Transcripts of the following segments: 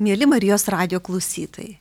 Mieli Marijos radijo klausytojai,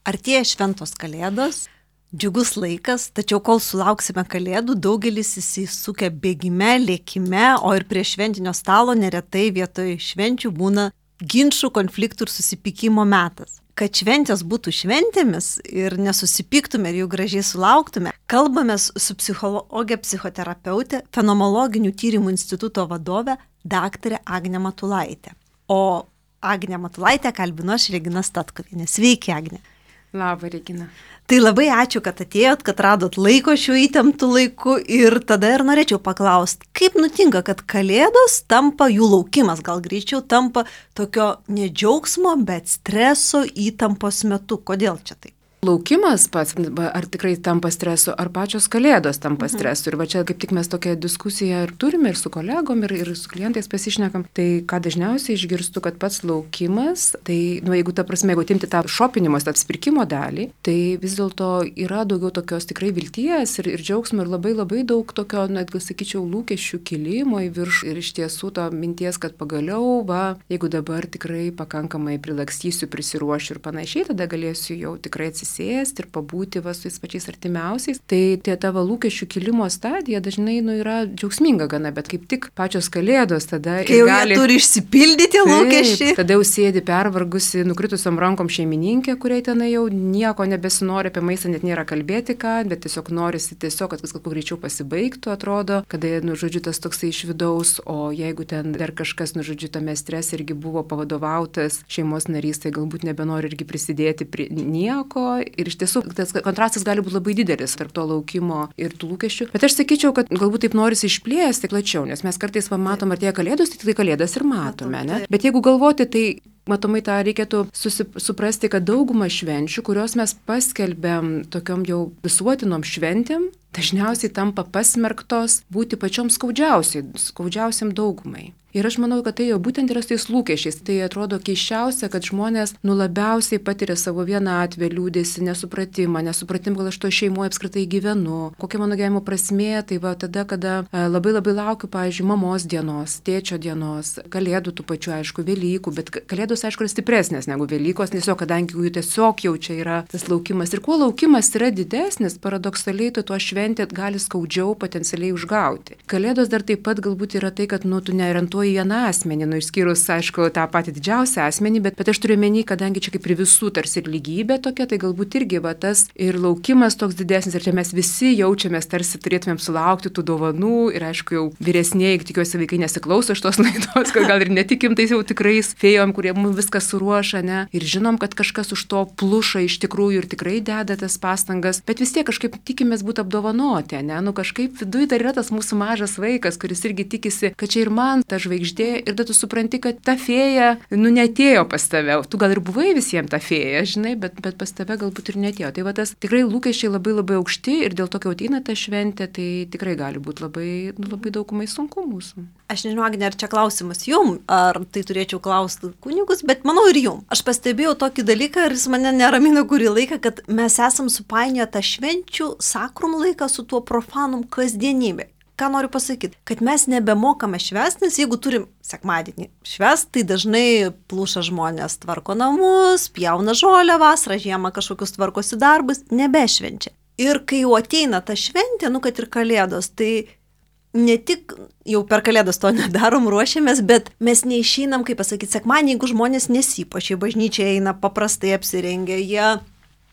artėja šventos kalėdos, džiugus laikas, tačiau kol sulauksime kalėdų, daugelis įsisukę bėgime, lėkime, o ir prie šventinio stalo neretai vietoj švenčių būna ginčių, konfliktų ir susipykimo metas. Kad šventės būtų šventėmis ir nesusipyktume ir jų gražiai sulauktume, kalbamės su psichologė, psichoterapeutė, fenomenologinių tyrimų instituto vadove dr. Agnė Matulaitė. O Agnė Matulaitė kalbinu aš, Regina Statkuvienė. Sveiki, Agnė. Labą, Regina. Tai labai ačiū, kad atėjot, kad radot laiko šiuo įtemptu laiku ir tada ir norėčiau paklausti, kaip nutinka, kad kalėdos tampa, jų laukimas gal greičiau tampa tokio ne džiaugsmo, bet streso įtampos metu. Kodėl čia taip? Laukimas pats, ar tikrai tampa stresu, ar pačios kalėdos tampa stresu. Ir va čia kaip tik mes tokią diskusiją ir turime ir su kolegom, ir su klientais pasišnekam. Tai ką dažniausiai išgirstu, kad pats laukimas, tai, jeigu ta prasme, jeigu timti tą šopinimo, tą apsipirkimo dalį, tai vis dėlto yra daugiau tokios tikrai vilties ir džiaugsmo ir labai daug tokio, netgi sakyčiau, lūkesčių kilimo į viršų. Ir iš tiesų to minties, kad pagaliau, jeigu dabar tikrai pakankamai prilakstysiu, prisiruošiu ir panašiai, tada galėsiu jau tikrai atsisėsti ir pabūti su tais pačiais artimiausiais. Tai tie tavo lūkesčių kilimo stadija dažnai yra džiaugsminga gana, bet kaip tik pačios kalėdos tada kai jau jie turi išsipildyti lūkesčiai. Tada jau sėdi pervargusi, nukritusiom rankom šeimininkė, kuriai tenai jau nieko nebesinori, apie maistą net nėra kalbėti ką, bet tiesiog norisi kad viskas kuo greičiau pasibaigtų, atrodo, kada, tas toksai iš vidaus, o jeigu ten dar kažkas, tame strese irgi buvo pavadovautas šeimos narys, tai galbūt nebenori irgi prisidėti prie nieko. Ir iš tiesų tas kontrastas gali būti labai didelis tarp to laukimo ir tų lūkesčių. Bet aš sakyčiau, kad galbūt taip norisi išplėsti plačiau, nes mes kartais matom artėja kalėdos, tai kalėdas ir matome. Ne? Bet jeigu galvoti, tai matomai tą reikėtų suprasti, kad dauguma švenčių, kurios mes paskelbėm tokiom jau visuotinom šventėm, dažniausiai tampa pasmerktos būti pačiom skaudžiausiam daugumai. Ir aš manau, kad tai jau būtent yra su tais lūkesčiais. Tai atrodo keiščiausia, kad žmonės labiausiai patiria savo vienatvę, liūdesį, nesupratimą, gal aš to šeimoje apskritai gyvenu, kokia mano gyvenimo prasmė, tai tada, kada labai laukiu, pavyzdžiui, mamos dienos, tėčio dienos, kalėdų tų pačių, aišku, Velykų, bet kalėdos, aišku, yra stipresnės negu Velykos, tiesiog, kadangi jų tiesiog jau čia yra tas laukimas. Ir kuo laukimas yra didesnis, paradoksaliai, tuo šventė gali skaudžiau potencialiai užgauti. Kalėdos dar taip pat galbūt yra tai, kad tu neorientuoji vieną asmenį, išskyrus, aišku, tą patį didžiausią asmenį, bet aš turiu menį, kadangi čia kaip ir visų tarsi ir lygybė tokia, tai galbūt irgi tas ir laukimas toks didesnis, ir čia mes visi jaučiamės, tarsi turėtumėm sulaukti tų dovanų, ir aišku, jau vyresnėji, tikiuosi vaikai nesiklauso šitos laidos, kad gal ir netikim tais jau tikrais fėjom, kurie mums viską suruošia, ne, ir žinom, kad kažkas už to pluša iš tikrųjų ir tikrai deda tas pastangas, bet vis tiek kažkaip tikimės būti apdovanoti, ne, kažkaip viduje dar yra tas mūsų mažas vaikas, kuris irgi tikisi, kad čia ir man ta žvaigždė, ir tada tu supranti, kad ta fėja, netėjo pas tave. Tu gal ir buvai visiems ta fėja, žinai, bet pas tave galbūt ir netėjo. Tai tas tikrai lūkesčiai labai aukšti ir dėl to, kai ateina ta šventė, tai tikrai gali būti labai daugumai sunku mūsų. Aš nežinau, Agnė, ar čia klausimas jum, ar tai turėčiau klausti kunigus, bet manau ir jum. Aš pastebėjau tokį dalyką ir jis mane neramina kurį laiką, kad mes esam supainioję tą švenčių sakrum laiką su tuo profanum kasdienybė. Ką noriu pasakyti? Kad mes nebemokame švęsti, nes jeigu turim sekmadienį švęsti, tai dažnai pluša žmonės, tvarko namus, pjauna žolę vasarą, žiemą kažkokius tvarkosi darbus, nebešvenčia. Ir kai jau ateina ta šventė, kad ir kalėdos, tai ne tik jau per kalėdas to nedarom, ruošiamės, bet mes neišeinam, kaip pasakyti, sekmadienį, jeigu žmonės nesipuošia, bažnyčia eina paprastai apsirengę, jie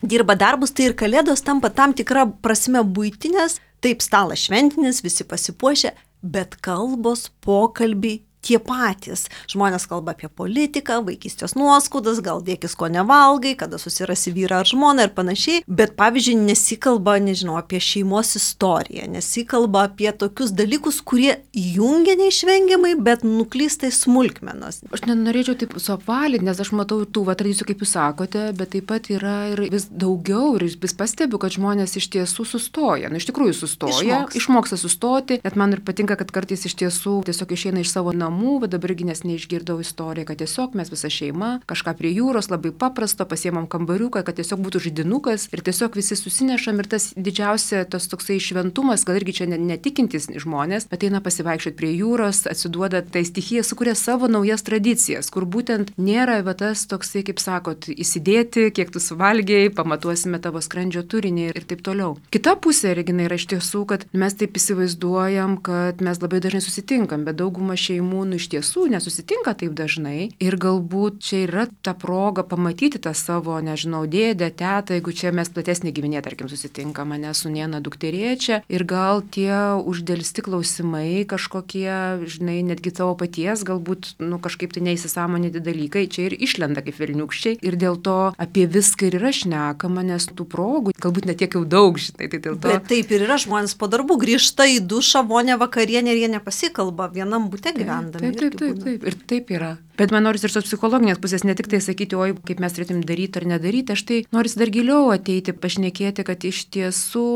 dirba darbus, tai ir kalėdos tampa tam tikra prasme buitinės. Taip, stalas šventinis, visi pasipuošia, bet kalbos, pokalbiai tie patys. Žmonės kalba apie politiką, vaikystės nuoskaudas, gal dėkis ko nevalgai, kada susirasi vyrą ar žmoną ir panašiai, bet pavyzdžiui nesikalba, apie šeimos istoriją, nesikalba apie tokius dalykus, kurie jungia neišvengiamai, bet nuklysta į smulkmenas. Aš nenorėčiau taip suapvalinti, nes aš matau tų tradicijų, kaip jūs sakote, bet taip pat yra ir vis daugiau ir vis pastebiu, kad žmonės iš tiesų sustoja. Iš tikrųjų sustoja, išmoksta sustoti, net man ir patinka, kad kartais iš tiesų tiesiog išeina iš savo namų namų, bet dabargi nes neišgirdau istoriją, kad tiesiog mes visa šeima, kažką prie jūros labai paprasto, pasiemam kambariuką, kad tiesiog būtų žaidinukas ir tiesiog visi susinešam ir tas didžiausia tas toksai šventumas, gal irgi čia netikintis žmonės, bet eina pasivaikščioti prie jūros, atsiduoda tai stichija, sukuria savo naujas tradicijas, kur būtent nėra va tas toksai, kaip sakot, įsidėti, kiek tu suvalgiai, pamatuosime tavo skrandžio turinį ir taip toliau. Kita pusė, Regina, yra iš tiesų, kad mes taip įsivaizduojam, kad mes labai dažnai susitinkam, bet dauguma šeimų iš tiesų nesusitinka taip dažnai ir galbūt čia yra ta proga pamatyti tą savo, nežinau, dėdę, tetą, jeigu čia mes platesnį giminė, tarkim, susitinkam, mane sūnėna dukterėčia ir gal tie uždelsti klausimai kažkokie, žinai, netgi tavo paties, galbūt, kažkaip tai neįsisąmoninti dalykai, čia ir išlenda kaip velniukščiai ir dėl to apie viską ir yra šnekama, nes tų progų galbūt net tiek jau daug, žinai, tai dėl to. Bet taip ir yra, žmonės po darbų grįžta į dušą, vonę, vakarienę ir jie nepasikalba, vienam bute gyvendami. Taip, ir taip yra. Bet man norisi ir tos psichologinės pusės, ne tik tai sakyti, oi, kaip mes turėtum daryti ar nedaryti, aš tai norisi dar giliau ateiti, pašnekėti, kad iš tiesų,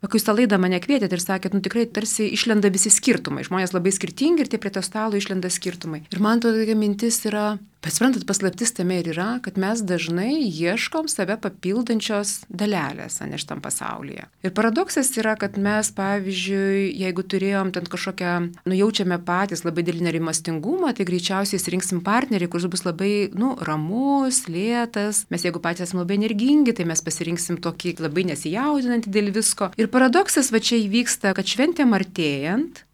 kai jūs tą laidą mane kvietėte ir sakėt, tikrai tarsi išlenda visi skirtumai, žmonės labai skirtingi ir tie prie to stalo išlenda skirtumai. Ir man tokia mintis yra, bet suprantat, paslaptis tame ir yra, kad mes dažnai ieškom save papildančios dalelės, ne šitam pasaulyje. Ir paradoksas yra, kad mes, pavyzdžiui, jeigu turėjom ten kažkokią, jaučiame patys labai didelį nerimastingumą, tai greičiausiai rinksim partnerį, kuris bus labai, ramus, lėtas. Mes jeigu patys esame labai energingi, tai mes pasirinksim tokį labai nesijaudinantį dėl visko. Ir paradoksas va čia įvyksta, kad šventėm artėjant,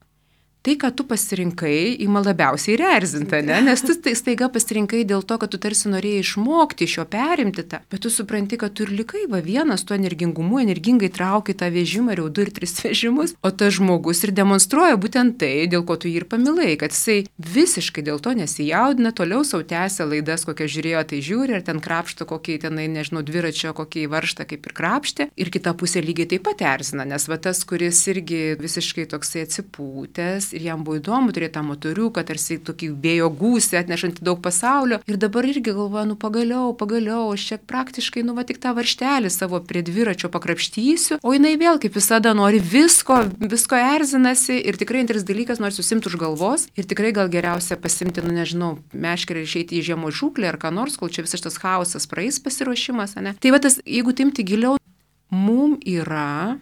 tai, ką tu pasirinkai, ima labiausiai ir erzinta, ne? Nes tu staiga pasirinkai dėl to, kad tu tarsi norėjai išmokti iš jo perimti tą, bet tu supranti, kad tu ir likai vienas tuo energingumu, energingai trauki tą vežimą, jau 2 ir 3 vežimus, o tas žmogus ir demonstruoja būtent tai, dėl ko tu jį ir pamilai, kad jisai visiškai dėl to nesijaudina, toliau sau tęsia laidas, kokią žiūrėjo, tai žiūri, ar ten krapšto kokį tenai, nežinau, dviračio, kokį varžtą kaip ir krapštė, ir kita pusė lygiai taip pat erzina, nes va tas, kuris irgi visiškai toksai atsipūtęs, ir jam buvo įdomu turėti tą motoriuką, tarsi tokį vėjo gūsį, atnešantį daug pasaulio. Ir dabar irgi galvoju, pagaliau, aš čia praktiškai, tik tą varštelį savo prie dviračio pakrapštysiu, o jinai vėl, kaip visada, nori visko erzinasi ir tikrai antras dalykas, nori susimti už galvos ir tikrai gal geriausia pasimti, meškerę ir išeiti į žiemos žūklę ar ką nors, kol čia visas tas chaosas praeis pasiruošimas, ne? Tai va tas, jeigu timti giliau, mum yra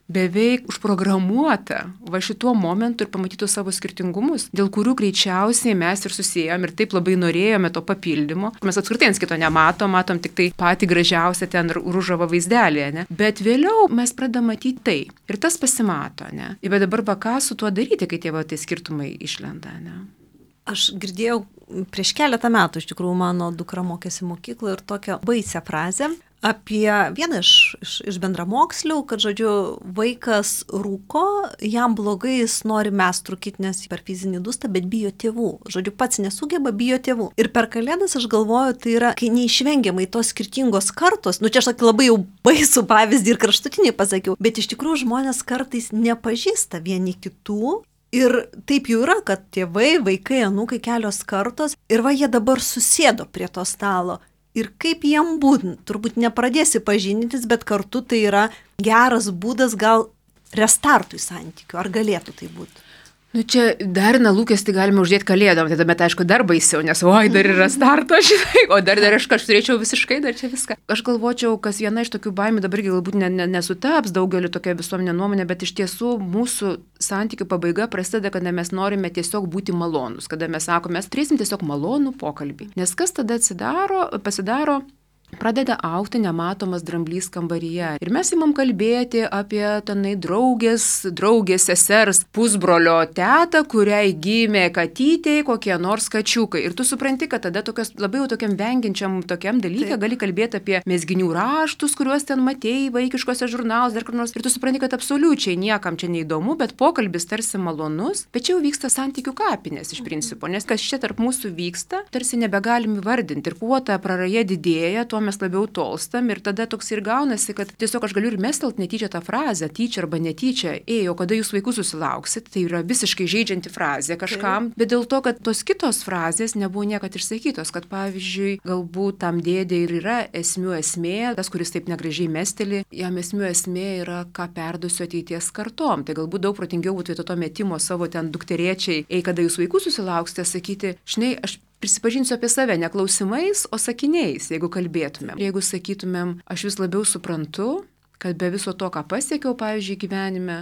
beveik užprogramuota va šituo momentu ir pamatytų savo skirtingumus, dėl kurių greičiausiai mes ir susijėjom ir taip labai norėjome to papildymo. Mes apskritai ant kito matom tik tai patį gražiausią ten ružavą vaizdelį, ne? Bet vėliau mes pradedame matyti tai. Ir tas pasimato, ne? Bet dabar ką su tuo daryti, kai tie tai skirtumai išlenda, ne? Aš girdėjau prieš keletą metų, iš tikrųjų, mano dukra mokėsi mokykloje ir tokią baisią frazę apie vieną iš bendramokslių, kad, žodžiu, vaikas rūko, jam blogai, jis nori mest rūkyti, nes per fizinį dūstą, bet bijo tėvų. Žodžiu, pats nesugeba, bijo tėvų. Ir per Kalėdas aš galvoju, tai yra, kai neišvengiamai tos skirtingos kartos, čia aš tokį labai jau baisų pavyzdį ir kraštutinį pasakiau, bet iš tikrųjų žmonės kartais nepažįsta vieni kitų. Ir taip jau yra, kad tėvai, vaikai, anūkai, kelios kartos ir jie dabar susėdo prie to stalo. Ir kaip jiem būtent, turbūt nepradėsi pažindintis, bet kartu tai yra geras būdas gal restartui santykių. Ar galėtų tai būti? Čia dar lūkestį galime uždėti Kalėdom, tai bet aišku dar baisiau, nes dar yra starto, žinai, o dar aš turėčiau visiškai dar čia viską. Aš galvočiau, kas viena iš tokių baimių dabar galbūt nesutaps daugeliu tokia visuomenė nuomonė, bet iš tiesų mūsų santykių pabaiga prasideda, kada mes norime tiesiog būti malonus, kada mes sakome, mes turėsim tiesiog malonų pokalbį. Nes kas tada pasidaro? Pradeda augti nematomas dramblys kambaryje. Ir mes imam kalbėti apie tenai draugės sesers, pusbrolio tetą, kuriai gimė katytė, kokie nors kačiukai. Ir tu supranti, kad tada labai jau tokiam vengiančiam tokiam dalykė gali kalbėti apie mezginių raštus, kuriuos ten matėjai vaikiškose žurnaluose, dar kur nors. Ir tu supranti, kad absoliučiai niekam čia neįdomu, bet pokalbis tarsi malonus, bet čia jau vyksta santykių kapinės iš principo. Nes kas čia tarp mūsų vyksta, tarsi nebegalim įvardinti. Ir kuo ta praraja didėja, tuo tuo mes labiau tolstam ir tada toks ir gaunasi, kad tiesiog aš galiu ir mestelt netyčia tą frazę, tyčia arba netyčia, o kada jūs vaikus susilauksit, tai yra visiškai žaidžianti frazė kažkam, bet dėl to, kad tos kitos frazės nebuvo niekad išsakytos, kad pavyzdžiui, galbūt tam dėdė ir yra esmių esmė, tas, kuris taip negražiai mesteli, jam esmių esmė yra, ką perduosiu ateities kartom. Tai galbūt daug protingiau būtų vietoj to metimo savo ten dukteriečiai, kada jūs vaikus susilauksite, sakyti, žinai, aš prisipažinsiu apie save ne klausimais, o sakiniais, jeigu kalbėtumėm. Jeigu sakytumėm, aš vis labiau suprantu, kad be viso to, ką pasiekiau, pavyzdžiui, gyvenime,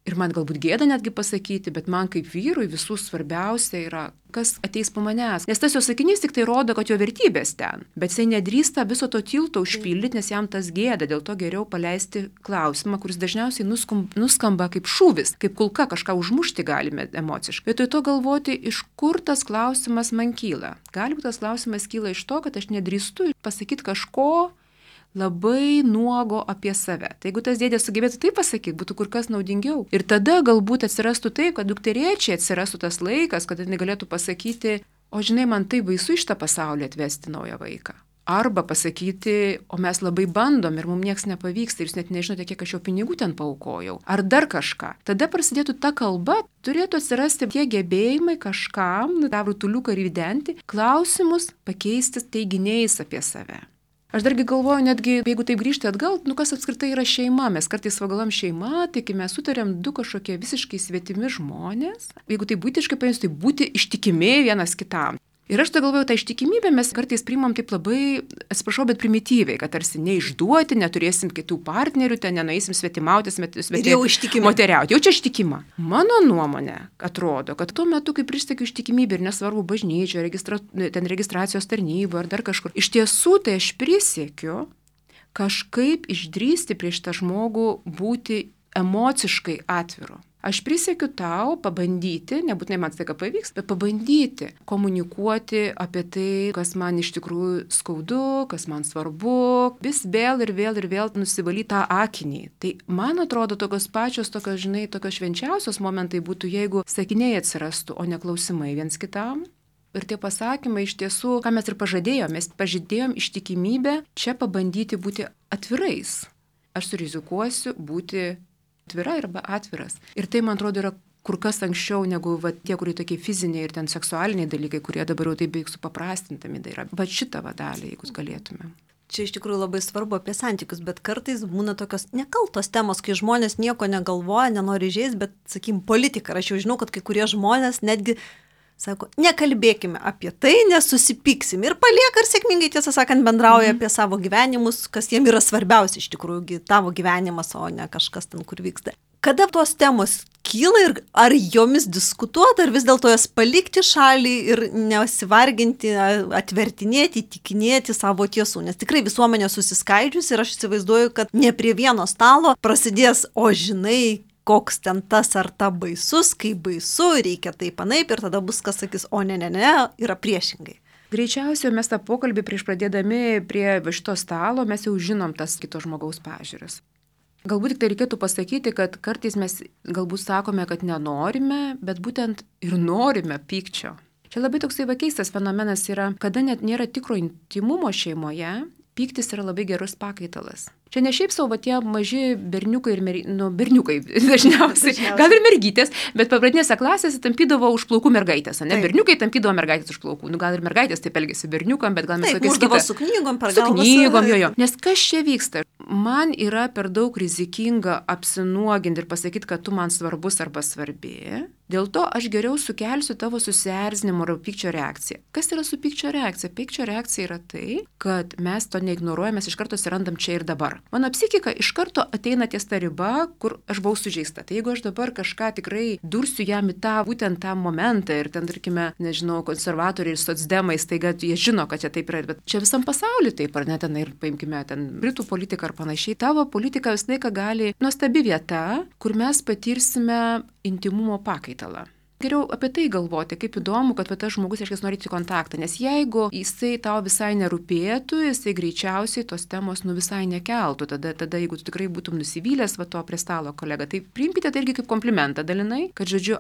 ir man galbūt gėda netgi pasakyti, bet man kaip vyrui visų svarbiausia yra, kas ateis po manęs. Nes tas jo sakinys tik tai rodo, kad jo vertybės ten. Bet jisai nedrįsta viso to tilto užpildyti, nes jam tas gėda. Dėl to geriau paleisti klausimą, kuris dažniausiai nuskamba kaip šūvis, kaip kulka, kažką užmušti galime emociškai. Vietoj to galvoti, iš kur tas klausimas man kyla. Galbūt tas klausimas kyla iš to, kad aš nedrįstu pasakyti kažko labai nuogo apie save. Tai jeigu tas dėdė sugebėtų tai pasakyti, būtų kur kas naudingiau. Ir tada galbūt atsirastų taip, kad dukteriečiai atsirastų tas laikas, kad jinai galėtų pasakyti, o žinai, man tai baisu iš tą pasaulį atvesti naują vaiką. Arba pasakyti, o mes labai bandom ir mums nieks nepavyksta ir jūs net nežinote, kiek aš jau pinigų ten paaukojau. Ar dar kažką. Tada prasidėtų ta kalba, turėtų atsirasti tie gebėjimai kažkam, tą rutuliuką ridenti, klausimus pakeisti teiginiais apie save. Aš dargi galvoju, netgi jeigu taip grįžti atgal, kas apskritai yra šeima, mes kartais pagalvojam šeima, tai kai mes sutarėm du kažkokie visiškai svetimi žmonės, jeigu tai būtiškai paėmus, tai būti ištikimi vienas kitam. Ir aš tai galvoju, tą ištikimybę mes kartais priimam taip labai, atsiprašau, bet primityviai, kad tarsi neišduoti, neturėsim kitų partnerių, ten nenueisim svetimautis, moteriauti. Jau čia ištikima. Mano nuomonė atrodo, kad tuo metu, kai pristekiu ištikimybę ir nesvarbu bažnyčio, registracijos tarnybo ar dar kažkur, iš tiesų tai aš prisiekiu kažkaip išdrįsti prieš tą žmogų būti emociškai atviru. Aš prisiekiu tau pabandyti, nebūtinai man tai ką pavyks, bet pabandyti komunikuoti apie tai, kas man iš tikrųjų skaudu, kas man svarbu, vis vėl ir vėl nusivalyti tą akinį. Tai man atrodo tokios švenčiausios momentai būtų, jeigu sakiniai atsirastų, o ne klausimai viens kitam. Ir tie pasakymai iš tiesų, ką mes ir pažadėjom, mes pažadėjom ištikimybę čia pabandyti būti atvirais. Aš surizikuosiu būti atvira arba atviras. Ir tai, man atrodo, yra kur kas anksčiau negu tie, kurie tokie fiziniai ir ten seksualiniai dalykai, kurie dabar jau taip beveik supaprastintami yra. Šitą dalį, jeigu galėtume. Čia iš tikrųjų labai svarbu apie santykius, bet kartais būna tokios nekaltos temos, kai žmonės nieko negalvoja, nenori žaisti, bet, sakykim, politika. Aš jau žinau, kad kai kurie žmonės netgi sako, nekalbėkime apie tai, nesusipyksim. Ir palieka ir sėkmingai, tiesą sakant, bendrauja apie savo gyvenimus, kas jiem yra svarbiausia iš tikrųjų, tavo gyvenimas, o ne kažkas ten, kur vyksta. Kada tos temos kyla ir ar jomis diskutuoti, ar vis dėlto jas palikti šalį ir nesivarginti, atvertinėti, įtikinėti savo tiesų. Nes tikrai visuomenė susiskaidžius ir aš įsivaizduoju, kad ne prie vieno stalo prasidės, o žinai, koks ten tas ar ta baisus, kaip baisu, reikia taip anaip ir tada bus kas sakys, o ne, yra priešingai. Greičiausiai mes tą pokalbį prieš pradėdami prie šito stalo mes jau žinom tas kito žmogaus pažiūras. Galbūt tik tai reikėtų pasakyti, kad kartais mes galbūt sakome, kad nenorime, bet būtent ir norime pykčio. Čia labai toksai keistas fenomenas yra, kada net nėra tikro intimumo šeimoje, pyktis yra labai gerus pakaitalas. Čia ne šiaip savo tie maži berniukai berniukai dažniausiai, gal ir mergytės, bet pradinėse klasėse tampydavo už plaukų mergaitės, ne? Taip. Berniukai tampydavo mergaitės už plaukų. Gal ir mergaitės taip elgėsi berniukam, bet gal mes tokiais kitas. Su knygom, su knygom, jo. Nes kas čia vyksta? Man yra per daug rizikinga apsinuoginti ir pasakyti, kad tu man svarbus arba svarbi. Dėl to aš geriau sukelsiu tavo susierzinimo ar pykčio reakciją. Kas yra su pykčio reakcija? Pykčio reakcija yra tai, kad mes to neignoruojame, mes iš karto atsirandam čia ir dabar. Mano psichika iš karto ateina ties ta riba, kur aš buvau sužeista. Tai jeigu aš dabar kažką tikrai dursiu jam į būtent tą momentą ir ten, tarkime, nežinau, konservatoriai ir socdemai, staiga jie žino, kad čia taip yra, bet čia visam pasauliu taip, ar ne, ten ir paimkime ten Britų politiką ar panašiai. Tavo politika visą laiką gali nuostabi vieta, kur mes patirsime intimumo pakaitalą. Geriau apie tai galvoti, kaip įdomu, kad tas žmogus reiškia nori į kontaktą, nes jeigu jisai tau visai nerūpėtų, jisai greičiausiai tos temos visai nekeltų, tada jeigu tu tikrai būtum nusivylęs to prie stalo kolega, tai priimkite tai irgi kaip komplimentą dalinai, kad žodžiu,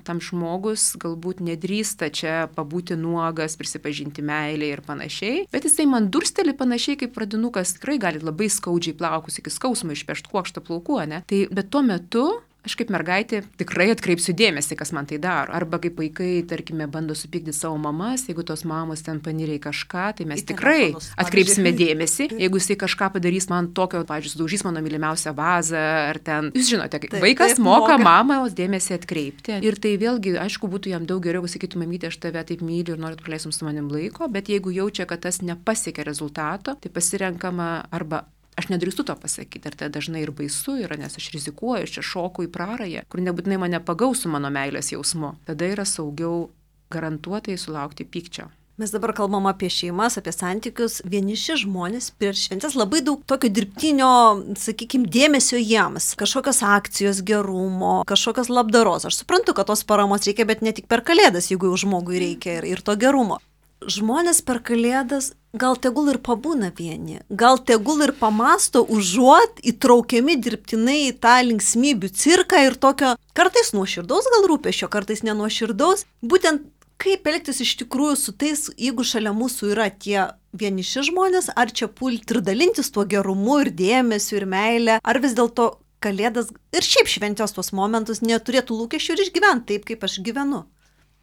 tam žmogus galbūt nedrįsta čia pabūti nuogas, prisipažinti meilę ir panašiai, bet jisai man dursteli panašiai kaip pradinukas, tikrai gali labai skaudžiai plaukus iki skausmo išpešti kuokštą plaukų, ne? Tai bet tuo metu aš kaip mergaitė tikrai atkreipsiu dėmesį, kas man tai daro. Arba kaip vaikai, tarkime, bando supykdyti savo mamas, jeigu tos mamos ten panirė į kažką, tai mes tikrai atkreipsime dėmesį. Jeigu jisai kažką padarys man tokio, pavyzdžiui, sudaužys mano mylimiausią vazą, ar ten, jūs žinote, vaikas moka mamos dėmesį atkreipti. Ir tai vėlgi, aišku, būtų jam daug geriau, sakytų, mamytė, aš tave taip myliu ir noriu praleistum su manim laiko, bet jeigu jaučia, kad tas nepasiekia rezultato, tai pasirenkama arba aš nedrįstu to pasakyti, ir tai dažnai ir baisu yra, nes aš rizikuoju, aš čia šoku į prarają, kur nebūtinai mane pagaus su mano meilės jausmu. Tada yra saugiau garantuotai sulaukti pykčio. Mes dabar kalbam apie šeimas, apie santykius. Vieniši žmonės prieš šventes labai daug tokio dirbtinio, sakykime, dėmesio jiems. Kažkokios akcijos gerumo, kažkokios labdaros. Aš suprantu, kad tos paramos reikia, bet ne tik per Kalėdas, jeigu jau žmogui reikia ir to gerumo. Žmonės per Kalėdas gal tegul ir pabūna vieni, gal tegul ir pamasto, užuot įtraukiami dirbtinai į tą linksmybių cirką ir tokio kartais nuoširdaus gal rūpesčio, kartais nenuoširdaus. Būtent kaip elgtis iš tikrųjų su tais, jeigu šalia mūsų yra tie vieniši žmonės, ar čia pulti ir dalintis tuo gerumu ir dėmesiu ir meilę, ar vis dėlto Kalėdas ir šiaip šventės tuos momentus neturėtų lūkesčių ir išgyventi taip, kaip aš gyvenu.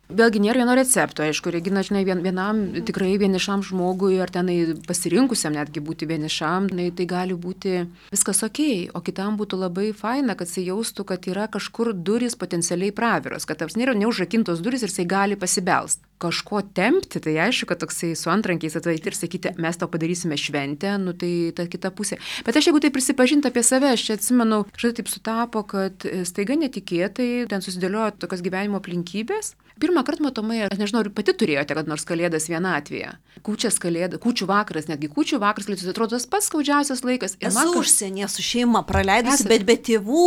Vėlgi nėra vieno recepto, aišku, Regina, žinai, vienam tikrai vienišam žmogui ar tenai pasirinkusiam netgi būti vienišam, tai gali būti viskas okei, o kitam būtų labai faina, kad jisai jaustų, kad yra kažkur durys potencialiai praviros, kad taps nėra neužrakintos durys ir jisai gali pasibelst. Kažko tempti, tai aišku, kad toksai su antrankiais atvaiti ir sakyti, mes tau padarysime šventę, tai ta kita pusė. Bet aš jeigu tai prisipažinti apie save, aš čia atsimenu, kažkaip taip sutapo, kad staiga netikėtai ten susidėliojo tokios gyvenimo aplinkybės. Pirmą kartą matomai, aš nežinau, ar pati turėjote, kad nors Kalėdas vienatvėje. Kūčių vakaras, netgi kūčių vakaras, atrodo tas pats skaudžiausias laikas. Ir esu užsienyje su šeima praleidusi, bet be tėvų,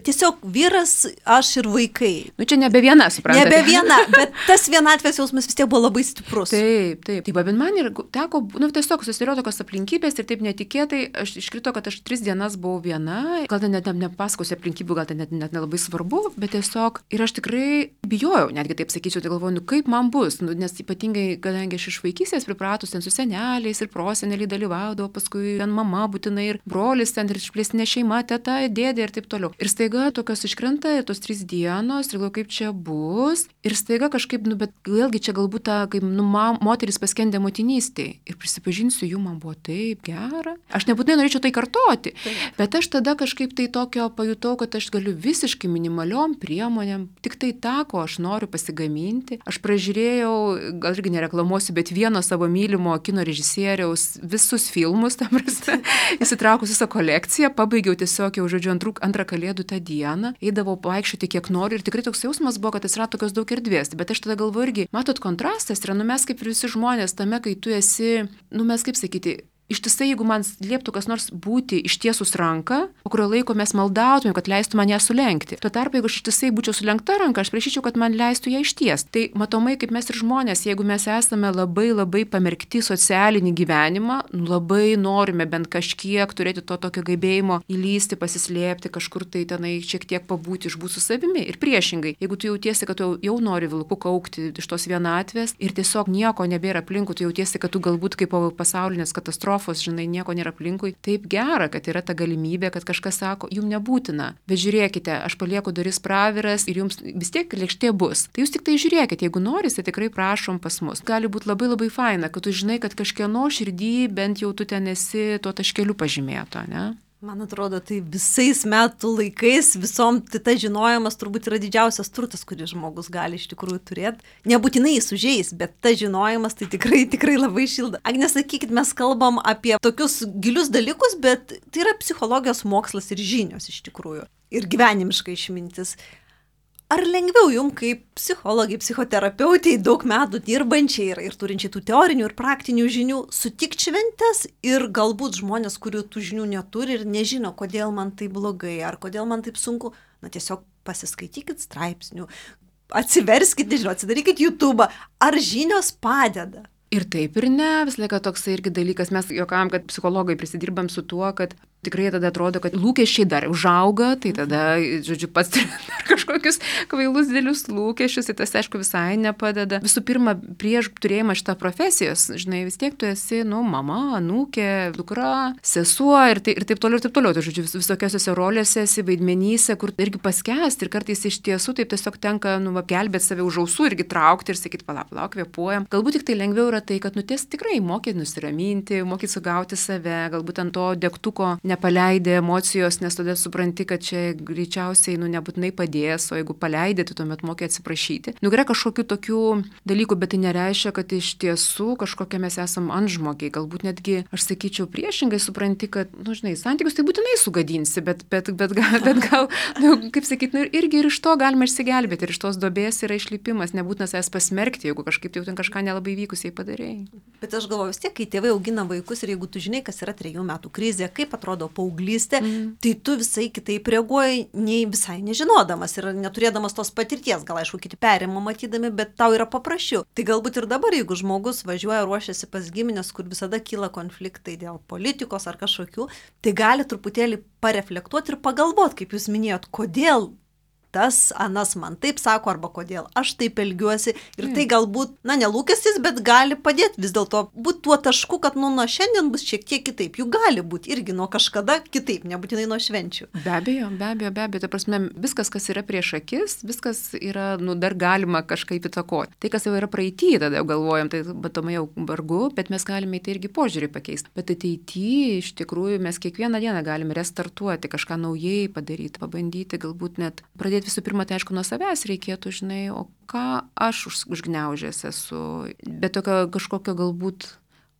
tiesiog vyras, aš ir vaikai. Čia nebe viena, suprantate. Nebe viena, bet tas vienatvės jausmas vis tiek buvo labai stiprus. Taip. Bet man ir teko, tiesiog susidėliojo tokios aplinkybės ir taip netikėtai, aš iškrito, kad aš 3 dienas buvau viena, gal ten net nepasakosiu aplinkybių, gal ten net nelabai svarbu, bet tiesiog ir aš tikrai bijojau, netgi taip sakyčiau, tai galvoju, kaip man bus, nes ypatingai, kadangi aš iš vaikystės pripratus ten su seneliais ir proseneliai dalyvaudavo, paskui ten mama būtinai ir brolis ten ir išplėstinė šeima, teta, dėdė ir taip toliau. Ir staiga tokios iškrenta ir tos 3 dienos, ir galvoju, kaip čia bus, ir staiga kažkaip, bet vėlgi čia galbūt ta, kaip moteris paskendė motinystėje. Ir prisipažinsiu, jų man buvo taip gera. Aš nebūtinai norėčiau tai kartoti, bet aš tada kažkaip tai tokio pajutau, kad aš galiu visiškai minimaliom priemonėm, tik tai tą, ko aš noriu pasigaminti. Aš pražiūrėjau, gal irgi nereklamuosiu, bet vieno savo mylimo kino režisieriaus visus filmus, tam prasme, įsitraukus visą kolekciją, pabaigiau tiesiog jau, žodžiu, antrą Kalėdų tą dieną, eidavau vaikščioti kiek noriu ir tikrai toks jausmas buvo, kad atsirado tokios daug erdvės. Bet aš tada galvoju irgi, matot, kontrastas yra, mes kaip ir visi žmonės tame, kai tu esi, mes kaip sakyti, ištisai, jeigu man lieptų kas nors būti ištiesus ranką, po kurio laiko mes maldautumėm, kad leistų man ją sulenkti. Tuo tarpu, jeigu aš ištisai būčiau sulenkta ranka, aš prašyčiau, kad man leistų ją ištiesti. Tai matomai, kaip mes ir žmonės, jeigu mes esame labai pamerkti socialinį gyvenimą, labai norime bent kažkiek turėti to tokio gebėjimo įlysti, pasislėpti, kažkur tai tenai šiek tiek pabūti, išbūti su savimi. Ir priešingai, jeigu tu jautiesi, kad tu jau nori vilku kaukti iš tos vienatvės ir tiesiog nieko nebėra aplinkui, tu jautiesi, kad tu galbūt kaip pasaulinės katastrofos, žinai, nieko nėra aplinkui. Taip gera, kad yra ta galimybė, kad kažkas sako, jums nebūtina, bet žiūrėkite, aš palieku duris praviras ir jums vis tiek lėkštė bus. Tai jūs tik tai žiūrėkite, jeigu norite, tikrai prašom pas mus. Gali būti labai faina, kad tu žinai, kad kažkieno širdį bent jau tu ten esi tuo taškeliu pažymėto, ne? Man atrodo, tai visais metų laikais, visom tas žinojimas turbūt yra didžiausias turtas, kurį žmogus gali iš tikrųjų turėti. Nebūtinai jis užeis, bet tas žinojimas tai tikrai labai šilda. Agne, sakykit, mes kalbam apie tokius gilius dalykus, bet tai yra psichologijos mokslas ir žinios iš tikrųjų. Ir gyvenimiška išmintis. Ar lengviau jums kaip psichologai, psichoterapeutiai, daug metų dirbančiai ir turinčiai tų teorinių ir praktinių žinių, sutikti šventes ir galbūt žmonės, kurių tų žinių neturi ir nežino, kodėl man tai blogai ar kodėl man taip sunku, tiesiog pasiskaitykit straipsnių, atsiverskit, nežinau, atsidarykit YouTube, ar žinios padeda? Ir taip ir ne, visą laiką toks irgi dalykas, mes juokavom, kad psichologai prisidirbam su tuo, kad tikrai tada atrodo, kad lūkesčiai dar užauga, tai tada, žodžiu, pats turi dar kažkokius kvailus dėlius lūkesčius, tai tas, aišku, visai nepadeda. Visų pirma, prieš turėjimą šitą profesijos, žinai, vis tiek tu esi, mama, anūkė, dukra, sesuo ir taip toliau, ir taip toliau. Tai, žodžiu, visokiose rolėse esi, vaidmenyse, kur irgi paskęsti ir kartais iš tiesų taip tiesiog tenka, gelbėti save už ausų irgi traukti ir sakyti, palauk, kvėpuojam. Galbūt tik tai lengviau yra tai, kad tikrai mokyti nusiraminti, mokyti sugauti save, galbūt ant to degtuko nepaleidė emocijos, nes tada supranti, kad čia greičiausiai nebūtinai padės, o jeigu paleidė, tai tuomet mokė atsiprašyti. Yra kažkokių tokių dalykų, bet tai nereiškia, kad iš tiesų kažkokie mes esam antžmogiai. Galbūt netgi, aš sakyčiau, priešingai supranti, kad, žinai, santykius tai būtinai sugadinsi, bet gal, kaip sakyti, irgi ir iš to galima išsigelbėti, ir iš tos duobės yra išlipimas, nebūtina savęs pasmerkti, jeigu kažkaip tai jau ten kažką nelabai vykusiai padarėjai. Bet aš galvoju, vis tiek, kai tėvai augina vaikus ir jeigu tu žinai, kas yra 3 metų krizė, kaip atrodo paauglystė, tai tu visai kitaip reaguoji, nei visai nežinodamas ir neturėdamas tos patirties, gal aišku, kiti perima matydami, bet tau yra paprasčiau. Tai galbūt ir dabar, jeigu žmogus važiuoja, ruošiasi pas giminės, kur visada kyla konfliktai dėl politikos ar kažkokių, tai gali truputėlį pareflektuoti ir pagalvoti, kaip jūs minėjot, kodėl tas, anas man taip sako, arba kodėl aš taip elgiuosi. Ir tai galbūt, nelūkestis, bet gali padėti vis dėlto būti tuo tašku, kad nuo šiandien bus šiek tiek kitaip. Juk gali būti irgi nuo kažkada kitaip, nebūtinai nuo švenčių. Be abejo. Ta prasme, viskas, kas yra prieš akis, viskas yra, dar galima kažkaip įtakoti. Tai, kas jau yra praeity, tada jau galvojam, tai batomai jau vargu, bet mes galime į tai irgi požiūrį pakeisti. Bet ateityje, iš tikrųjų, mes kiekvieną dieną galime restartuoti, kažką naujai padaryti, pabandyti, galbūt net pradėti. Visų pirma, tai aišku, nuo savęs reikėtų, žinai, o ką aš užgniaužęs esu, bet tokio kažkokio galbūt,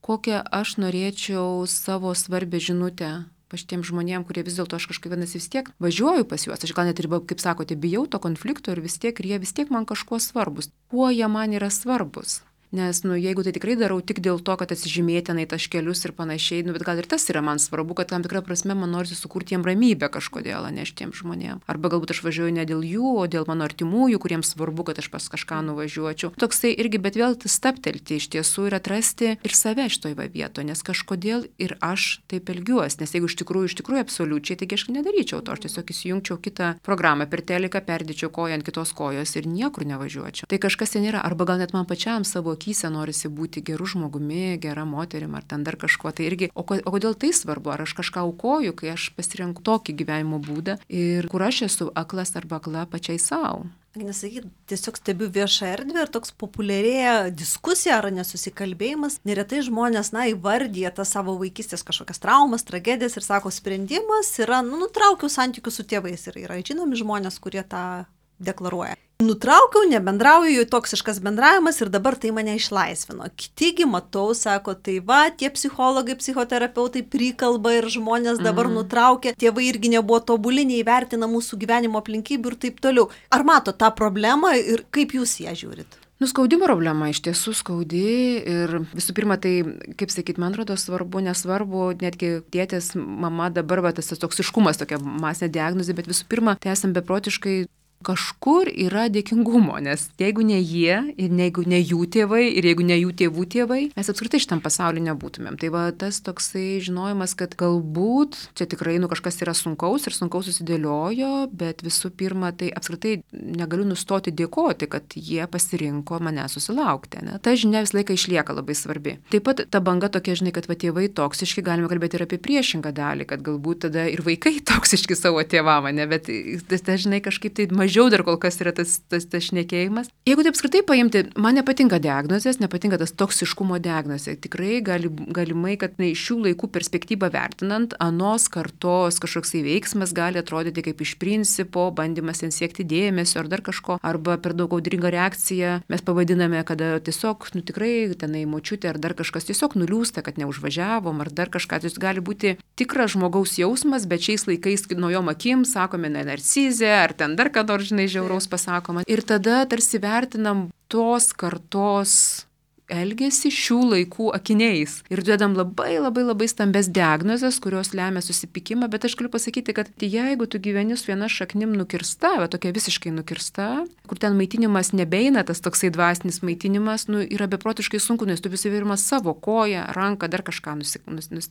kokią aš norėčiau savo svarbę žinutę paštiems žmonėms, kurie vis dėlto aš kažkaip vienas vis tiek važiuoju pas juos, aš gal net ir, kaip sakote, bijau to konflikto ir jie vis tiek man kažkuo svarbus. Kuo jie man yra svarbus? Nes, jeigu tai tikrai darau tik dėl to, kad atsižymėtinai taškelius ir panašiai, bet gal ir tas yra man svarbu, kad tam tikrą prasme man norisi sukurti jiem ramybę kažkodėl, ne šitiems žmonėms. Arba galbūt aš važiuoju ne dėl jų, o dėl mano artimųjų, kuriems svarbu, kad aš pas kažką nuvažiuočiau. Toksai irgi, bet vėl staptelti iš tiesų ir atrasti ir save šitoj vietoje, nes kažkodėl ir aš taip elgiuosi. Nes jeigu iš tikrųjų absoliučiai, taigi aš nedaryčiau to, aš tiesiog įsijungčiau kitą programą per teliką, perdėčiau koją ant kitos kojos ir niekur nevažiuočiau. Tai kažkas ten yra, arba gal net man pačiam savo akyse norisi būti geru žmogumi, gera moterim ar ten dar kažkuo. Tai irgi, o kodėl tai svarbu? Ar aš kažką aukoju, kai aš pasirenku tokį gyvenimo būdą ir kur aš esu aklas arba akla pačiai savo? Nesakyt, tiesiog stebiu viešą erdvę ir toks populiarėja diskusija ar nesusikalbėjimas. Neretai žmonės, įvardyja tas savo vaikystės kažkokias traumas, tragedijas ir sako, sprendimas yra, nutraukiau santykius su tėvais. Ir yra žinomi žmonės, kurie tą deklaruoja. Nutraukiau, nebendrauju, toksiškas bendravimas ir dabar tai mane išlaisvino. Kitigi matau, sako, tai tie psichologai, psichoterapeutai prikalba ir žmonės dabar nutraukia, tėvai irgi nebuvo tobuli, neįvertina mūsų gyvenimo aplinkybių ir taip toliau. Ar mato tą problemą ir kaip jūs ją žiūrit? Skaudi problema, iš tiesų skaudi ir visų pirma, tai, kaip sakyt, man atrodo svarbu, nesvarbu, netgi tėtės, mama dabar, tas toksiškumas, tokia masinė diagnozė, bet visų pirma, tai esam beprotiškai kažkur yra dėkingumo, nes jeigu ne jie, ir jeigu ne jų tėvai, ir jeigu ne jų tėvų tėvai, mes apskritai šitam pasaulyje nebūtumėm. Tai tas toksai žinojimas, kad galbūt čia tikrai kažkas yra sunkaus ir sunkaus susidėliojo, bet visų pirma, tai apskritai negaliu nustoti dėkoti, kad jie pasirinko mane susilaukti. Ne? Ta žinia visą laiką išlieka labai svarbi. Taip pat ta banga tokia, žinai, kad tėvai toksiški, galime kalbėti ir apie priešingą dalį, kad galbūt tada ir vaikai toksiški savo tėvam, ne, bet tai, žinai, kažkaip tai mažiau dar kol kas yra tas šnekėjimas. Jeigu taip apskritai paimti, man nepatinka diagnozės, nepatinka tas toksiškumo diagnozė. Tikrai galimai, kad iš šių laikų perspektyvą vertinant, anos kartos kažkoksai veiksmas gali atrodyti kaip iš principo bandymas ten siekti dėmesio ar dar kažko, arba per daug audringa reakcija. Mes pavadiname, kada tiesiog, tikrai tenai močiutė ar dar kažkas tiesiog nuliūsta, kad neužvažiavom ar dar kažką. Tai gali būti tikras žmogaus jausmas, bet šiais laikais naujom akim sakome narcizė ar ten dar ką nors, žinai, žiauraus pasakoma. Ir tada tarsi vertinam tos kartos elgiasi šių laikų akiniais. Ir duodam labai stambes diagnozes, kurios lemia susipykimą, bet aš galiu pasakyti, kad jeigu tu gyveni su viena šaknim nukirsta, va tokia visiškai nukirsta, kur ten maitinimas nebeina, tas toksai dvasinis maitinimas, yra beprotiškai sunku, nes tu visi virmas savo koją, ranką, dar kažką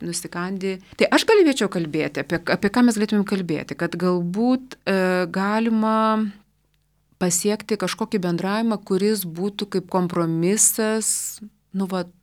nusikandi. Tai aš galėčiau kalbėti, apie ką mes galėtumėm kalbėti, kad galbūt galima pasiekti kažkokį bendravimą, kuris būtų kaip kompromisas,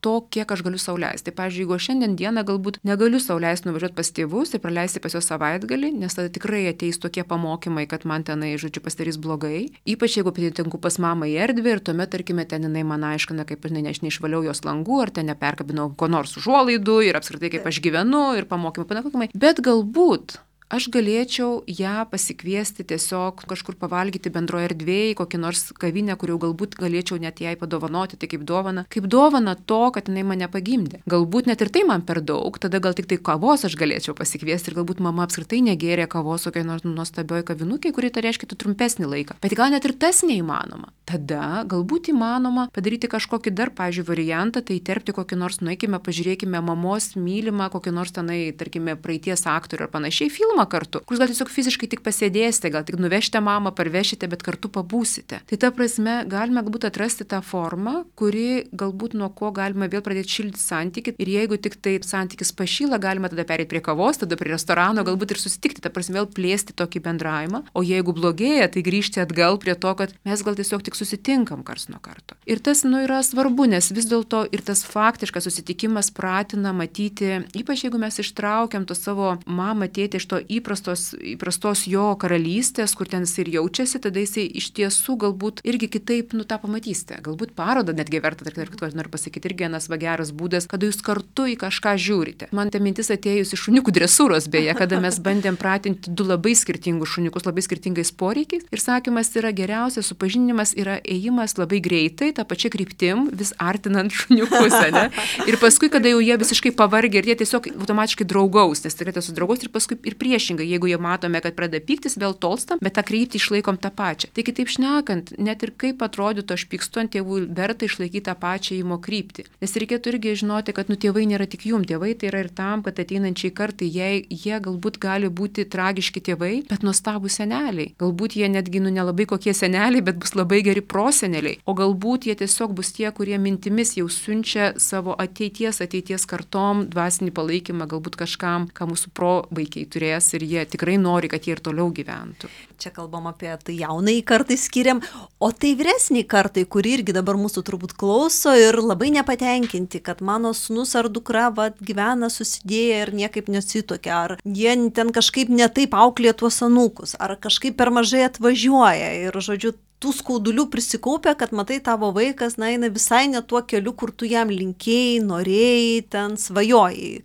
to, kiek aš galiu sau leisti. Tai, pavyzdžiui, jeigu šiandien dieną galbūt negaliu sau leisti nuvažiuoti pas tėvus ir praleisti pas juos savaitgalį, nes tada tikrai ateis tokie pamokymai, kad man tenai, pasidarys blogai. Ypač jeigu patinku pas mamą į erdvę ir tuomet, tarkime, ten jinai man aiškina, kaip aš neišvaliau jos langų, ar ten neperkabinau ko nors užuolaidų ir apskritai kaip aš gyvenu ir pamokymai. Bet galbūt aš galėčiau ją pasikviesti tiesiog kažkur pavalgyti bendroje erdvėje, kokį nors kavinę, kur jau galbūt galėčiau net jai padovanoti, tai kaip dovana to, kad jinai mane pagimdė. Galbūt net ir tai man per daug, tada gal tik tai kavos aš galėčiau pasikviesti ir galbūt mama apskritai negėrė kavos kokiai nors nuostabioj kavinukai, kuri tai reiškia trumpesnį laiką. Bet gal net ir tas neįmanoma. Tada galbūt įmanoma padaryti kažkokį dar, pavyzdžiui, variantą, tai įterpti kokį nors, nueikime, pažiūrėkime mamos mylimą, kokį nors tenai, tarkime, praeities aktorių ar panašiai filmą kartu, kur gal tiesiog fiziškai tik pasėdėsite, gal tik nuvežite mamą, parvešite, bet kartu pabūsite. Tai ta prasme galime galbūt atrasti tą formą, kuri galbūt nuo ko galima vėl pradėti šildyti santykį ir jeigu tik tai santykis pašyla, galima tada perėti prie kavos, tada prie restorano, galbūt ir susitikti, ta prasme vėl plėsti tokį bendravimą, o jeigu blogėja, tai grįžti atgal prie to, kad mes gal tiesiog tik susitinkam karts nuo karto. Ir tas yra svarbu, nes vis dėlto ir tas faktiškas susitikimas pratina matyti, ypač jeigu mes ištraukiam to savo mamą, tėtį iš to įprastos jo karalystės, kur ten jis ir jaučiasi, tada jisai iš tiesų galbūt irgi kitaip tą pamatysite. Galbūt parodą netgi verta, ir noriu pasakyti, irgi vienas geras būdas, kada jūs kartu į kažką žiūrite. Man ta mintis atėjus iš šuniukų dresūros, beje, kada mes bandėm pratinti du labai skirtingus šuniukus, labai skirtingais poreikiais. Ir sakymas yra geriausias supažinimas yra ėjimas labai greitai, tą pačią kryptim, vis artinant šuniukus, ne? Ir paskui, kada jau jie visiškai pavargę ir jie tiesiog automatiškai draugaus, nes turėtų su draugos ir paskui ir priešingai, jeigu jie matome, kad pradeda pyktis, vėl tolstam, bet tą kryptį išlaikom tą pačią. Tai kitaip šnekant, net ir kaip atrodytų, aš pykstu ant tėvų, verta išlaikyti tą pačią ėjimo kryptį. Nes reikėtų irgi žinoti, kad tėvai nėra tik jum, tėvai tai yra ir tam, kad ateinančiai kartai, jie galbūt gali būti tragiški tėvai, bet nuostabūs seneliai. Galbūt jie netgi nelabai kokie seneliai, bet bus labai geri proseneliai. O galbūt jie tiesiog bus tie, kurie mintimis jau siunčia savo ateities kartom dvasinį palaikymą, galbūt kažkam, ką mūsų provaikiai turės ir jie tikrai nori, kad jie ir toliau gyventų. Čia kalbam apie tai jaunai kartai skiriam, o tai vyresniai kartai, kuri irgi dabar mūsų turbūt klauso ir labai nepatenkinti, kad mano sūnus ar dukra gyvena susidėję ir niekaip nesitokia, ar jie ten kažkaip netaip auklė tuos anūkus, ar kažkaip per mažai atvažiuoja ir, žodžiu, tų skaudulių prisikaupia, kad matai tavo vaikas, eina visai ne tuo keliu, kur tu jam linkėjai, norėjai, ten svajojai.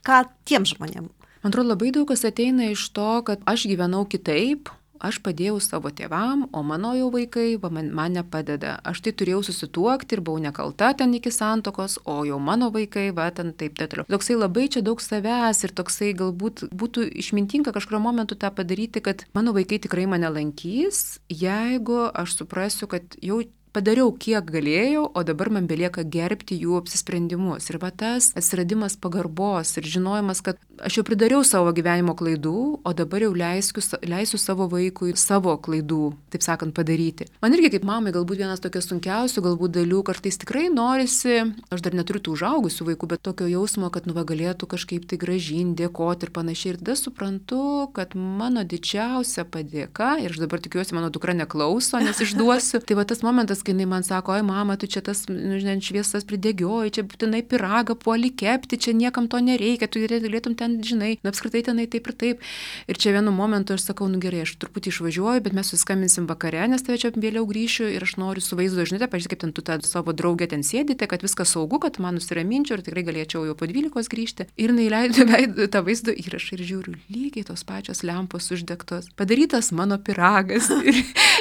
Ką tiem žmonėm? Man atrodo, labai daug kas ateina iš to, kad aš gyvenau kitaip, aš padėjau savo tėvam, o mano jau vaikai man nepadeda. Aš tai turėjau susituokti ir buvau nekalta ten iki santuokos, o jau mano vaikai, ten taip toliau. Toksai labai čia daug savęs ir toksai galbūt būtų išmintinga kažkurio momentu tą padaryti, kad mano vaikai tikrai mane lankys, jeigu aš suprasiu, kad jau padariau kiek galėjau, o dabar man belieka gerbti jų apsisprendimus. Ir tas atsiradimas pagarbos ir žinojimas, kad aš jau pridariau savo gyvenimo klaidų, o dabar jau leisiu savo vaikui savo klaidų, taip sakant, padaryti. Man irgi kaip mamai galbūt vienas tokias sunkiausių galbūt dalių, kartais tikrai norisi, aš dar neturiu tų užaugusių vaikų, bet tokio jausmo, kad galėtų kažkaip tai gražinti, dėkoti ir panašiai. Ir tada suprantu, kad mano didžiausia padėka, ir aš dabar tikiuosi, mano dukra neklauso, nes išduosiu, tai tas momentas, kai jinai man sako, oi mama, tu čia tas šviesas pridegioji, čia būtinai pyragą puoli kepti, čia niekam to nereikia, tu galėtum ten, žinai, apskritai tenai taip ir taip. Ir čia vienu momentu aš sakau, gerai, aš truputį išvažiuoju, bet mes suskambinsim vakare, nes tave čia vėliau grįšiu ir aš noriu su vaizdo žinutę, pažiūrėk, kaip ten tu tą savo draugę ten sėdite, kad viskas saugu, kad man nusiraminčiau ir tikrai galėčiau jau po 12 grįžti. Ir jinai leido tą vaizdo įrašą ir žiūriu, lygiai tos pačios lempos uždegtos, padarytas mano pyragas.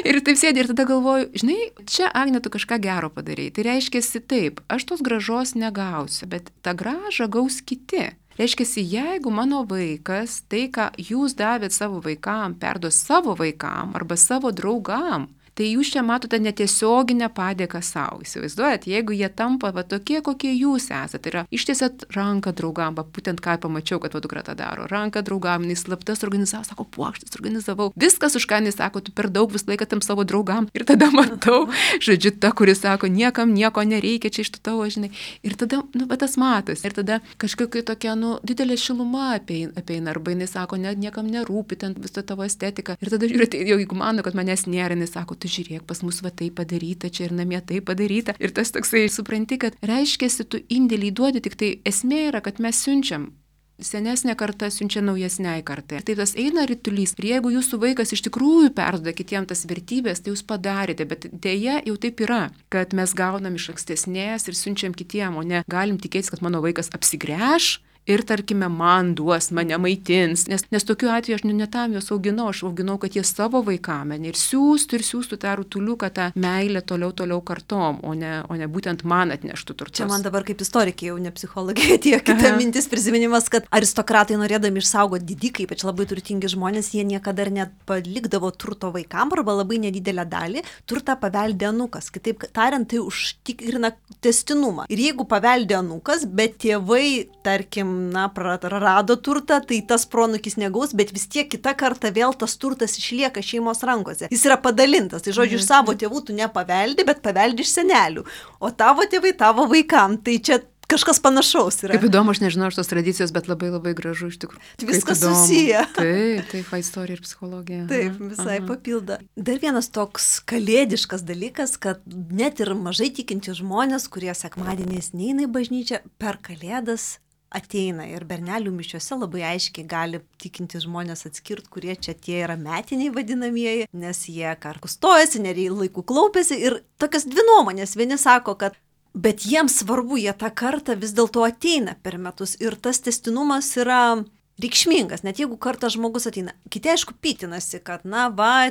Ir taip sėdė ir tada galvoju, žinai, čia Agne, tu kažką gero padarei. Tai reiškiasi taip, aš tos grąžos negausiu, bet tą grąžą gaus kiti. Reiškiasi, jeigu mano vaikas tai, ką jūs davėt savo vaikam, perduos savo vaikam arba savo draugam, tai jūs čia matote netiesioginę padėką savo. Įsivaizduojat, jeigu jie tampa tokie, kokie jūs esate, tai yra ištiesėt ranką draugam, būtent ką pamačiau, kad dukra tą daro, ranką draugam, jis slaptas organizavo, sako, puokštas organizavau, viskas už ką jis sako, tu per daug visą laiką tam savo draugam. Ir tada matau, žodžiu, ta, kuris sako, niekam nieko nereikia, čia iš tavo, žinai. Ir tada, bet tas matas. Ir tada kažkokia tokia, didelė šiluma apeina, arba jinai sako, niekam nerūpi ten visą tavo estetiką. Ir tada žiūrėt, jau jeigu mano, kad manęs nėra, jinai sako, tu žiūrėk, pas mus va tai padaryta, čia ir namie tai padaryta. Ir tas toksai, supranti, kad reiškiasi, tu indėlį duodi, tik tai esmė yra, kad mes siunčiam. Senesnė karta siunčia naujesniai kartai. Tai tas eina rytulys. Ir jeigu jūsų vaikas iš tikrųjų perduoda kitiems tas vertybės, tai jūs padarėte. Bet dėja jau taip yra, kad mes gaunam iš ankstesnės ir siunčiam kitiem, o ne galim tikėtis, kad mano vaikas apsigręš ir, tarkime, man duos, mane maitins. Nes tokiu atveju aš ne tam juos auginau, aš auginau, kad jie savo vaikame ir siūstų tą rutuliuką, tą meilę toliau kartom, o ne būtent man atneštų turtus. Čia man dabar kaip istorikė, jau ne psichologija, atėjo kita mintis, prisiminimas, kad aristokratai norėdami išsaugoti didikai, ypač labai turtingi žmonės, jie niekada ir net palikdavo turto vaikam arba labai nedidelę dalį, turtą paveldė anūkas. Kitaip tariant, tai užtikrina tęstinumą. Ir jeigu paveldė anūkas, bet tėvai, tarkim, prarado turtą, tai tas pronukis negaus, bet vis tiek kitą kartą vėl tas turtas išlieka šeimos rankose. Jis yra padalintas. Tai žodžiu, iš savo tėvų tu nepaveldi, bet paveldi iš senelių. O tavo tėvai tavo vaikam. Tai čia kažkas panašaus yra. Kaip įdomu, aš nežinau šitos tradicijos, bet labai labai gražu iš tikrųjų. Viskas susiję. Taip, istorija ir psichologija. Taip, visai papildo. Dar vienas toks kalėdiškas dalykas, kad net ir mažai tikinti žmonės, kurie sekmadieniais neina į bažnyčią, per kalėdas ateina ir bernelių mišiuose labai aiškiai gali tikinti žmonės atskirti, kurie čia tie yra metiniai vadinamieji, nes jie karku stojasi, laiku klaupiasi ir tokias dvi nuomonės. Vieni sako, kad bet jiems svarbu, jie tą kartą vis dėlto ateina per metus ir tas tęstinumas yra reikšmingas, net jeigu kartą žmogus ateina. Kiti aišku pytinasi, kad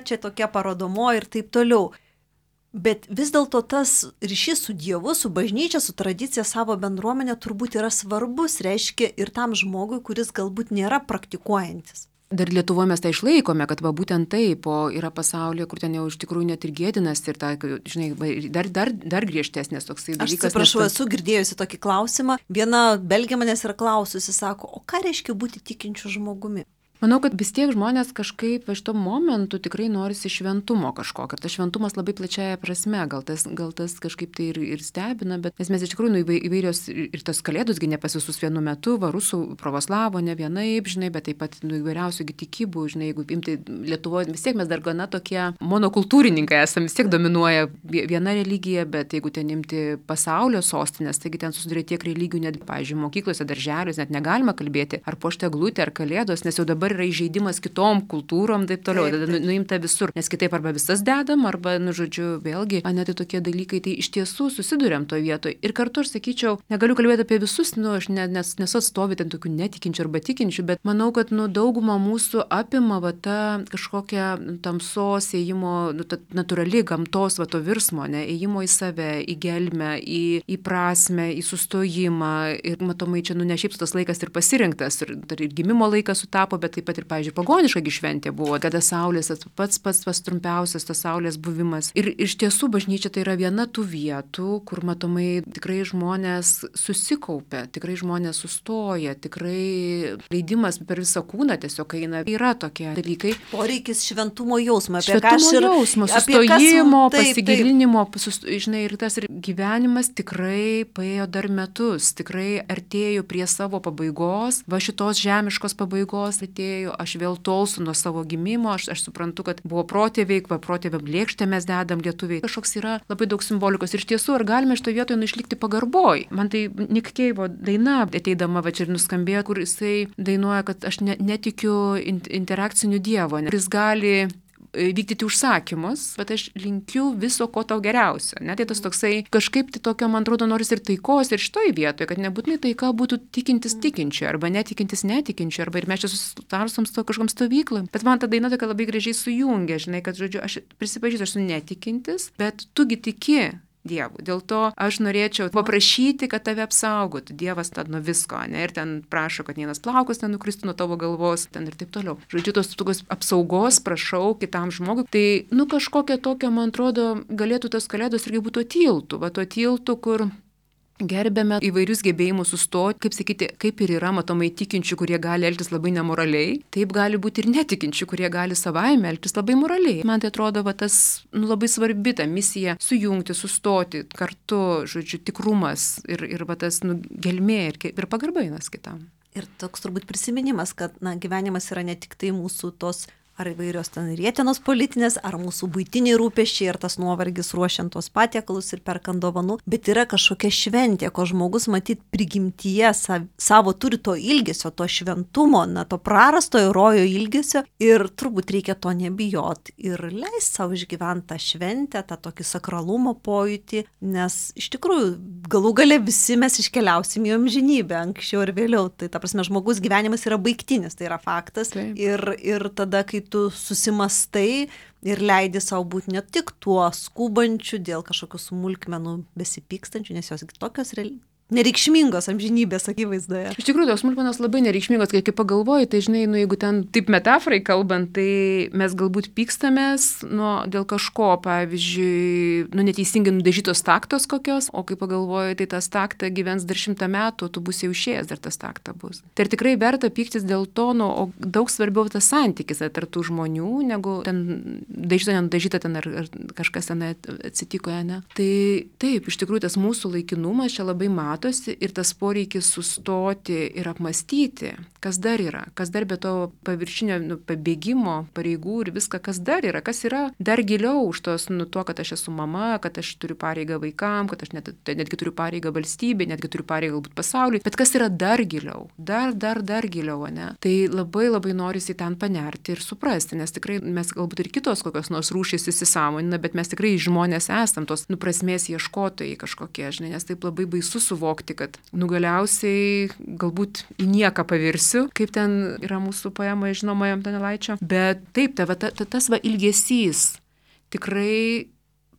čia tokia parodomo ir taip toliau. Bet vis dėlto tas ryšys su Dievu, su bažnyčia, su tradicija, savo bendruomenė turbūt yra svarbus, reiškia ir tam žmogui, kuris galbūt nėra praktikuojantis. Dar Lietuvoje mes tai išlaikome, kad būtent taip, o yra pasaulyje, kur ten jau iš tikrųjų net ir gėdinas ir ta, žinai, dar griežtesnės toksai dalykas. Aš atsiprašau, esu girdėjusi tokį klausimą. Viena belgė manęs yra klaususi, sako, o ką reiškia būti tikinčiu žmogumi? Manau, kad vis tiek žmonės kažkaip iš to momentu tikrai norisi šventumo kažkokio. Ir tas šventumas labai plačiaja prasme, gal tas kažkaip tai ir stebina, bet nes iš tikrųjų įvairios ir tas kalėdosgi ne pas visus vienu metu, rusų, pravoslavo, ne vienaip, žinai, bet taip pat įvairiausių tikybų, žinai, jeigu imti Lietuvoje, vis tiek mes dar gana tokie monokultūrininkai esame, vis tiek dominuoja viena religija, bet jeigu ten imti pasaulio sostinės, taigi ten susiduria tiek religijų, net, pavyzdžiui, mokyklose, darželiuose, net negalima kalbėti ar puošti eglutę, ar kalėdos, nes jau dabar yra įžeidimas kitom kultūrom, taip toliau, nuimta visur, nes kitaip arba visas dedam, arba, žodžiu, vėlgi, net tokie dalykai, tai iš tiesų susiduriam toje vietoje. Ir kartu aš sakyčiau, negaliu kalbėti apie visus, aš nesu atstovė ten tokių netikinčių arba tikinčių, bet manau, kad daugumą mūsų apima ta kažkokia tamsos ėjimo, ta natūrali gamtos to virsmo, ėjimo į save, į gelmę, į prasmę, į sustojimą. Ir matomai čia ne šiaip tas laikas ir pasirinktas, ir gimimo laikas sutapo, bet taip pat ir, pavyzdžiui, pagoniška šventė buvo, kada saulės pats trumpiausias tas saulės buvimas. Ir iš tiesų bažnyčia tai yra viena tų vietų, kur matomai tikrai žmonės susikaupia, tikrai žmonės sustoja, tikrai leidimas per visą kūną tiesiog eina. Yra tokie dalykai. Poreikis šventumo jausmo, sustojimo, pasigilinimo, žinai, ir tas ir gyvenimas tikrai paėjo dar metus, tikrai artėjo prie savo pabaigos, va šitos žemiškos pabaigos atėjo, aš vėl tolstu nuo savo gimimo, aš suprantu, kad buvo protėviai, protėviam lėkštę mes dedam lietuviai. Kažkoks yra labai daug simbolikos ir iš tiesų, ar galime šito vietoje išlikti pagarboj? Man tai Nick Cave daina ateidama va čia ir nuskambėjo, kur jisai dainuoja, kad aš netikiu interakciniu dievo, kuris gali vykdyti užsakymus, bet aš linkiu viso ko tau geriausio. Tai tas toksai, kažkaip tai tokio, man atrodo, noris ir taikos ir šitoj vietoje, kad nebūtinai taika būtų tikintis tikinčių, arba netikintis netikinčių, arba ir mes čia susitarsom su kažkam stovyklom. Bet man ta daina tokia labai gražiai sujungia, žinai, kad, žodžiu, aš prisipažįstu, aš esu netikintis, bet tugi tiki Dievu. Dėl to aš norėčiau paprašyti, kad tave apsaugotų. Dievas tad nuo visko, ne? Ir ten prašo, kad vienas plaukas nenukristų nuo tavo galvos, ten ir taip toliau. Žodžiu, tos tokios apsaugos prašau kitam žmogui. Tai, kažkokia tokia, man atrodo, galėtų tas kalėdos irgi būtų tiltų. Va, to tiltų, kur gerbėme įvairius gebėjimus sustoti, kaip sakyti, kaip ir yra matomai tikinčių, kurie gali elgtis labai nemoraliai, taip gali būti ir netikinčių, kurie gali savaime elgtis labai moraliai. Man tai atrodo, va, tas labai svarbi ta misija sujungti, sustoti kartu, žodžiu, tikrumas ir va, tas gelmė ir pagarba vienas kitam. Ir toks turbūt prisiminimas, kad gyvenimas yra ne tik tai mūsų tos ar įvairios ten rietenos politinės, ar mūsų buitiniai rūpesčiai, ar tas nuovargis ruošiant tos patiekalus ir perkant dovanų, bet yra kažkokia šventė, ko žmogus matyt prigimtyje savo turi to ilgesio, to šventumo, to prarastojo rojo ilgesio ir turbūt reikia to nebijot ir leist savo išgyventi tą šventę, tą tokį sakralumo pojūtį, nes iš tikrųjų galų gale visi mes iškeliausim į amžinybę anksčiau ir vėliau. Tai ta prasme, žmogus gyvenimas yra baigtinis, tai yra faktas. Ir tada, kai tu susimastai ir leidi savo būti ne tik tuo skubančiu dėl kažkokių smulkmenų besipykstančių, nes jos tokios nereikšmingos amžinybės akivaizdoje. Iš tikrųjų, tos smulkmenos labai nereikšmingos, kai pagalvoji, tai žinai, jeigu ten taip metaforai kalbant, tai mes galbūt pykstamės dėl kažko, pavyzdžiui, neteisingai nudažytos taktos kokios, o kai pagalvoji, tai tas takta gyvens dar 100 metų, tu būsi jau išėjęs, dar tas takta bus. Tai ir tikrai verta pyktis dėl to, o daug svarbiau tas santykis tarp tų žmonių, negu ten dažyta, nenudažyta ten ar kažkas ten atsitiko, ne. Tai taip, iš tikrųjų, tas mūsų laikinumas čia labai ir tas poreikis sustoti ir apmastyti, kas dar yra, kas dar be to paviršinio pabėgimo, pareigų ir viską, kas yra dar giliau už tos, to, kad aš esu mama, kad aš turiu pareigą vaikam, kad aš netgi turiu pareigą valstybei, netgi turiu pareigą galbūt pasauliui, bet kas yra dar giliau, dar giliau, ne? Tai labai labai norisi ten panerti ir suprasti, nes tikrai mes galbūt ir kitos kokios nors rūšys įsisąmonina, bet mes tikrai žmonės esam tos prasmės ieškotojai kažkokie, žinai, nes taip labai baisu suvokti, kad galiausiai galbūt į nieką pavirsiu, kaip ten yra mūsų poemoje žinoma Donelaičio, bet taip, tas ilgesys tikrai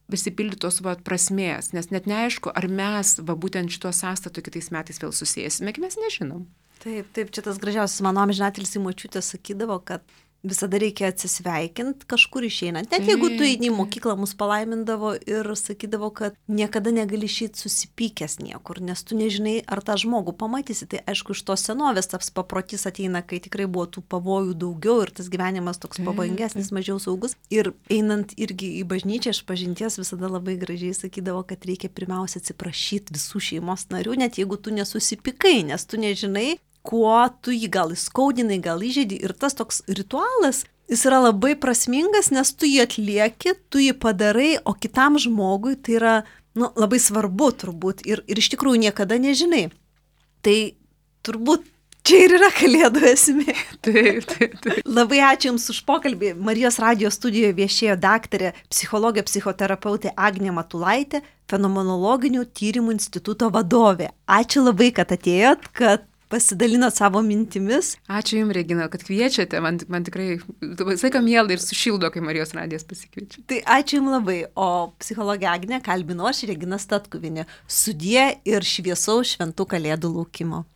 prisipildytos prasmės, nes net neaišku, ar mes būtent šituo sąstatu kitais metais vėl susėsime, mes nežinom. Taip, čia tas gražiausias mano amžinatilsį močiutė sakydavo, kad visada reikia atsisveikinti kažkur išeinant. Net jeigu tu eini į mokyklą, mus palaimindavo ir sakydavo, kad niekada negali išeiti susipykęs niekur, nes tu nežinai, ar tą žmogų pamatysi. Tai aišku, iš tos senovės tas paprotys ateina, kai tikrai buvo tų pavojų daugiau ir tas gyvenimas toks pavojingesnis, mažiau saugus. Ir einant irgi į bažnyčią, iš pažinties visada labai gražiai sakydavo, kad reikia pirmiausia atsiprašyti visų šeimos narių, net jeigu tu nesusipykai, nes tu nežinai, kuo tu jį gal įskaudinai, gal įžeidži. Ir tas toks ritualas, jis yra labai prasmingas, nes tu jį atlieki, tu jį padarai, o kitam žmogui tai yra labai svarbu turbūt ir iš tikrųjų niekada nežinai. Tai turbūt čia ir yra kalėdų esmė. Taip. Labai ačiū Jums už pokalbį. Marijos radijo studijoje viešėjo daktarė, psichologė, psichoterapeutė Agnė Matulaitė, Fenomenologinių tyrimų instituto vadovė. Ačiū labai, kad atėjot, kad pasidalinot savo mintimis. Ačiū Jums, Regina, kad kviečiate. Man tikrai visą laiką miela ir sušildo, kai Marijos radijas pasikviečia. Tai ačiū Jums labai. O psichologė Agnė kalbino aš, Regina Statkuvienė. Sudie ir šviesaus šventų kalėdų laukimo.